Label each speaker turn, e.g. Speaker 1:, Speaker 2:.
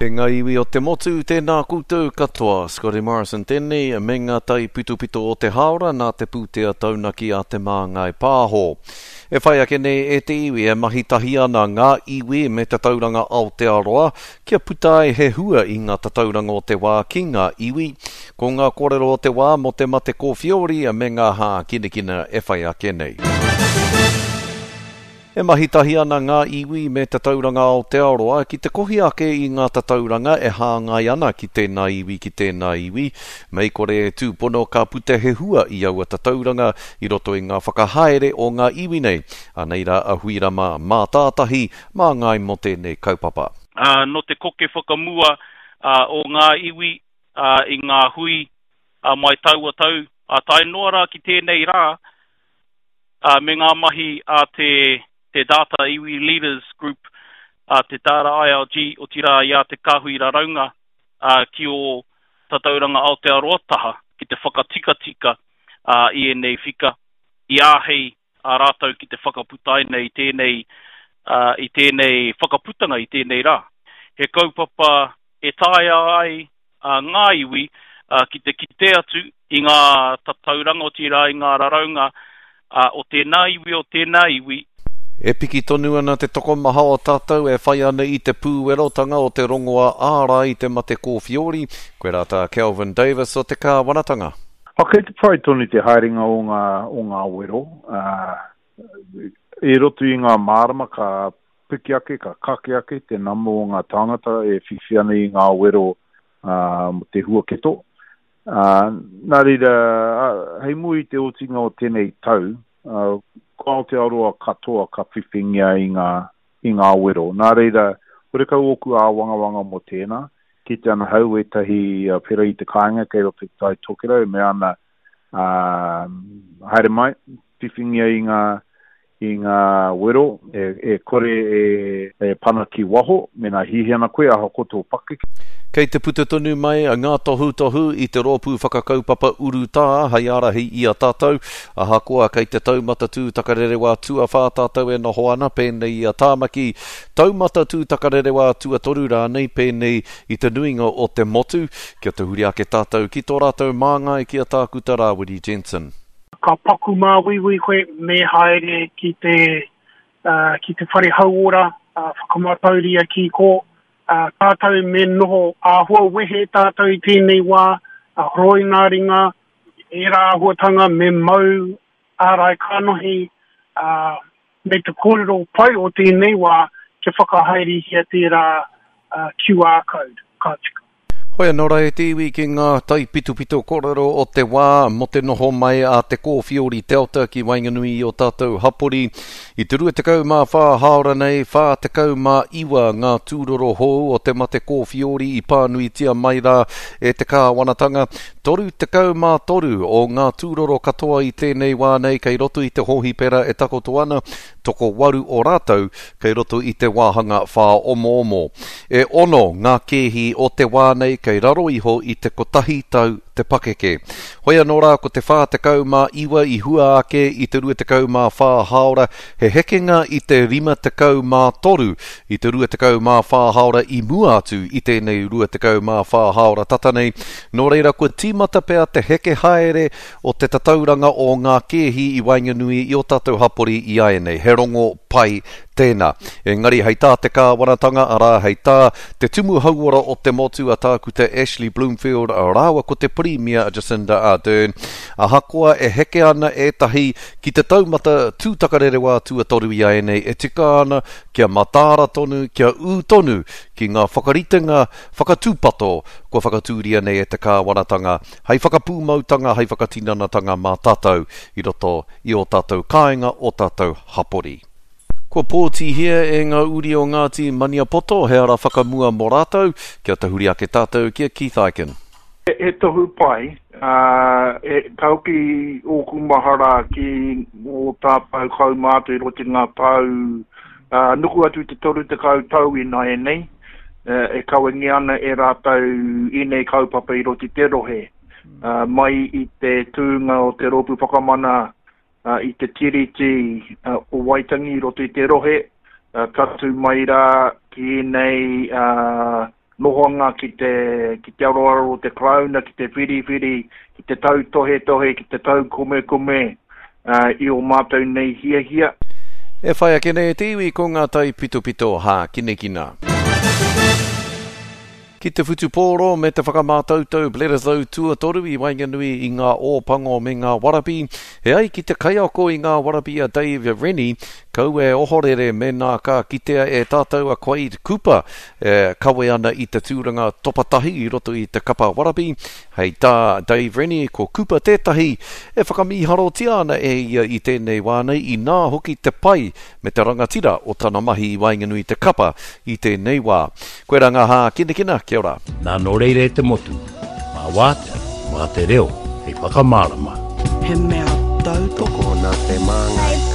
Speaker 1: E ngā iwi o te motu, tēnā koutou katoa. Scotty Morrison tēnei, me ngā taipitopito o te hāora nā te pūtea taunaki a Te Māngai Pāho. E whai ake nei e te iwi e mahi tahi ana ngā iwi me Tatauranga Aotearoa kia puta ai he hua i ngā tatauranga o te wā ki ngā iwi. Ko ngā kōrero o te wā mō te mate kōwhiori me ngā hākinakina e whai ake nei. E mahi tahi ana ngā iwi me Tatauranga Aotearoa ki te kohi ake i ngā tatauranga e hāngai ana ki tēnā iwi ki tēnā iwi, mei kore e tūpono ka puta he hua i aua tatauranga i roto i ngā whakahaere o ngā iwi nei. Anei rā a Huirama Mātātahi, māngai mō tēnei kaupapa.
Speaker 2: Nō te koke whakamua o ngā iwi i ngā hui mai taua tau tae noa rā ki tēnei rā, me ngā mahi a te te Data Iwi Leaders Group, a te Data ILG, otirā i a Te Kāhui Raraunga ki ō Tatauranga Aotearoa taha ki te whakatikatika i ēnei whika, i āhei a rātou ki te whakaputaina i tēnei, i tēnei whakaputanga i tēnei rā. He kaupapa e taea ai ngā iwi ki te kite atu i ngā tatauranga, otirā i ngā raraunga o tēnā iwi, o tēnā iwi.
Speaker 1: E piki tonu ana te tokomaha o tātou e whai ana i te pūwerotanga o te rongoā ārai i te mate kōwhiori, koirā tā Kelvin Davis o te kāwanatanga.
Speaker 3: Kei te pai tonu te haerenga o ngā, o ngā wero. I roto i ngā marama ka piki ake, ka kake ake te nama o ngā tāngata e whiwhi ana i ngā wero mō te huaketo. Nā reira, hei mua i te otinga o tēnei tau, ko Aotearoa katoa ka whiwhingia i ngā, i ngā wero. Nā reira, horekau ōku āwangawanga mō tēnā. Kite ana hau ētahi pērā i te kāinga kei roto i Te Tai Tokerau e mea ana, ā, haere mai, whiwhingia i ngā, i ngā wero, e, e kore e, e pana ki waho, mēnā hiahia ana koe, ahakoa tō pakeke.
Speaker 1: Kei te puta tonu mai ngā tohutohu i te rōpū whakakaupapa urutā hei ārahi i a tātou, ahakoa kei te taumata tūtakarerewā tuawhā tātou e noho ana, pēnei i a Tāmaki, taumata tūtakarerewā tuatoru rānei, pēnei i te nuinga o te motu, kia tahuri ake tātou ki tō rātou māngai ki a Tākuta Rāwiri Jensen.
Speaker 4: Ka paku māuiui koe me haere ki te ki te whare hauora, whakamātauria ki kō, tātou me noho āhua wehe tātou i tēnei wā, horoi ngā ringa, ērā āhuatanga me mau ārai kanohi, ā, me te kōrero pai o tēnei wā kia whakahaerehia tērā QR code, ka tika.
Speaker 1: Hoi anō rā e te iwi ki ngā taipitopito kōrero o te wā mō te noho mai a te kōwhiori Delta ki waenganui i ō tātou hapori. I te 24 hāora nei, 49 ngā tūroro hou o te mate kōwhiori i pānuitia mai rā e te kāwanatanga. 33 o ngā tūroro katoa i tēnei wā nei kei roto i te hōhipera e takoto ana, tokowaru o rātou kei roto i te wāhanga whāomoomo. E ono ngā kēhi o te wā nei kei raro iho i te kotahi tau te pakeke. Hoi anō rā ko te 49 i hua ake i te 24 hāora, he hekenga i te 53 i te 24 hāora i mua atu i tēnei 24 hāora tata nei, nō reira kua tīmata pea te heke haere o te tatauranga o ngā kēhi i waenganui i ō tātou hapori i āianei. He rongo pai tēnā. Engari hei tā te kāwanatanga, arā, hei tā te Tumu Hauora o te motu a Tākuta Ashley Bloomfield rāua ko te Pirimia a Jacinda Ardern, ahakoa e heke ana ētahi ki te taumata tūtakarerewā tuatoru i āianei e tika ana kia mataara tonu, kia ū tonu ki ngā whakaritenga whakatūpato kua whakatūria nei e te kāwanatanga hei whakapūmautanga, hei whakatinanatanga mā tātou i roto i ō tātou kāinga, ō tātou hapori. Kua pōtihia e ngā uri o Ngāti Maniapoto he ara whakamua mō rātou, kia tahuri ake tātou ki a Keith Ikin.
Speaker 3: He tohu pai, ā, ka hoki ōku mahara ki ō tātou kaumātua i roto i ngā tau, ā, nuku atu i te 30 tau ināianei, e kawengia ana e rātou ēnei kaupapa i roto i te rohe, ā, mai i te tūnga o te Rōpū Whakamana i te Tiriti o Waitangi i roto i te rohe, tatū mai rā ki ēnei, ā,
Speaker 5: nohoanga ki te, ki te aroaro o te Karauna, ki te whiriwhiri, ki te tautohetohe, ki te taukumekume i ō mātou nei hiahia.
Speaker 1: E whai ake nei e te iwi ko ngā taipitopito hākinakina. Ki te whutupōro me te whakamātautau Bledisloe tuatoru i waenganui i ngā Ōpango me ngā Warabi, e ai ki te kaiako i ngā Warabi a Dave Rennie, kaua e ohorere mēnā ka kitea e tātou a Quade Cooper e kawe ana i te tūranga topa tahi i roto i te kapa Warabi. Hei tā Dave Rennie, ko Cooper tētahi e whakamīharotia ana e ia i tēnei wā nei, inā hoki te pai me te rangatira o tana mahi i waenganui i te kapa i tēnei wā. Koirā ngā hākinakina, kia ora.
Speaker 6: Nā nō reira e te motu, mā wātea, mā te reo hei whakamārama.
Speaker 7: He mea tautoko.
Speaker 8: Tokona te māngai.